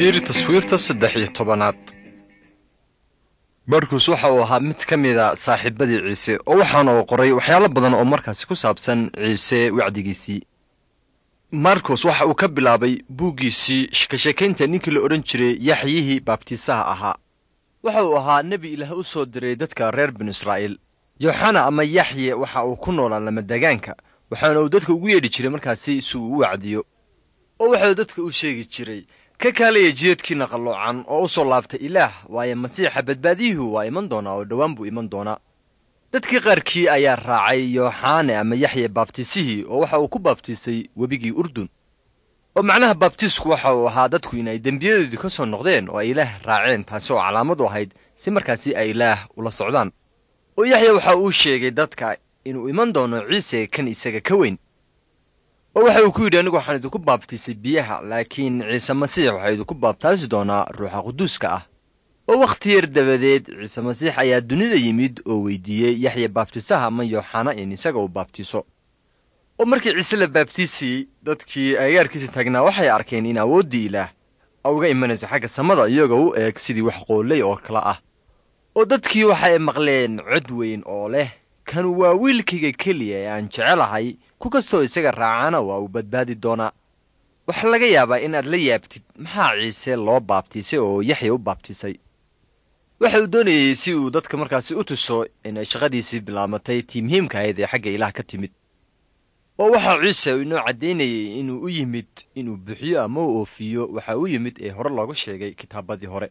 Fiiri taswiirta 13aad. Markus waxa uu ahaa mid ka mida saaxiibadii Ciise, oo waxaana uu qoray waxyaalo badan oo markaasi ku saabsan Ciise wacdigiisii. Markos waxa uu ka bilaabay buuggiisii ka sheekaynta ninkii la odhan jiray Yaxyihii Baabtiisaha ahaa. Waxa uu ahaa nebi Ilaah u soo diray dadka reer Binu Israa'iil. Yooxana ama Yaxye waxa uu ku noolaa lamadegaanka, waxaana uu dadka ugu yeedhi jiray markaasi si uu u wacdiyo. Oo waxauu dadka u sheegi jiray: "Ka kaalaya jiadkiinna qalloocan oo u soo laabta Ilaah, waayo Masiixa badbaadiyuhu waa iman doonaa oo dhowaan buu iman doonaa." Dadkii qaarkii ayaa raacay Yooxane ama Yaxye baabtiisihii, oo waxa uu ku baabtiisay webigii Urdun. Oo macnaha baabtiisku waxa uu ahaa dadku inay dembiyadoodii ka soo noqdeen oo ay Ilaah raaceen, taasi oo calaamad u ahayd si markaasi ay Ilaah ula socdaan. Oo Yaxya waxa uu sheegay dadka inuu iman doono Ciise kan isaga ka weyn. Oo waxa uu ku yidhi: "Anigu waxaan idinku baabtiisay biyaha, laakiin Ciise Masiix waxaa idinku baabtaasi doonaa Ruuxa Quduuska ah." Oo wakhti yar dabadeed Ciise Masiix ayaa dunida yimid oo weydiiyey Yaxya baabtiisaha ama Yooxana in isaga uu baabtiiso. Oo markii Ciise la baabtiisayey, dadkii agagaarkiisa taagnaa waxay arkeen in awooddii Ilaah uga imanaysa xagga samada iyagoo u eeg sidii wax qooley oo kale ah. Oo dadkii waxay maqleen cod weyn oo leh: "Kan waa wiilkayga keliya ee aan jecelahay, ku kastoo isaga raacana waa uu badbaadi doonaa." Waxaa laga yaabaa inaad la yaabtid maxaa Ciise loo baabtiisay oo Yaxya u baabtiisay. Waxa uu doonayey si uu dadka markaasi u tuso inay shaqadiisii bilaabatay tii muhiimka ahayd ee xagga Ilaah ka timid. Oo waxaa Ciise inoo caddaynayey inuu u yimid inuu buuxiyo ama u oofiyo waxa u yimid ee hore looga sheegay kitaabadii hore.